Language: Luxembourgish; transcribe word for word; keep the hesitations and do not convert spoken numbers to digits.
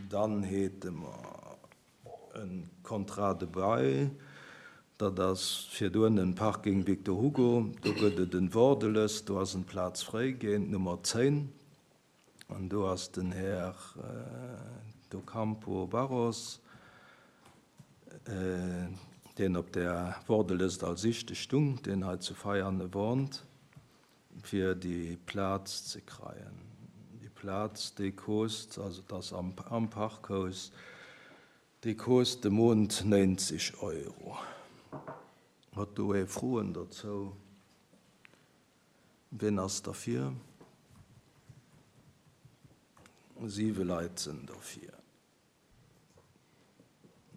Dann hate mer e Contrat de bail, dat ass virdrun den Parking Victor Hugo, do gëtt et en Wordelës, do ass en Plaz fréi géint Nummer zéng an do ass den Här do Campo Barros, deen op der Wordelëst als Ischte stung, deen hei zu Veiane wohnt, fir déi Plaz ze kreien. Déi Plaz, déi kost, also et ass am, am Parkhaus, déi kost de Mount nénzeg Euro. Huet do ee Froen dozou? Wien ass derfir? Siwe Leit sinn derfir.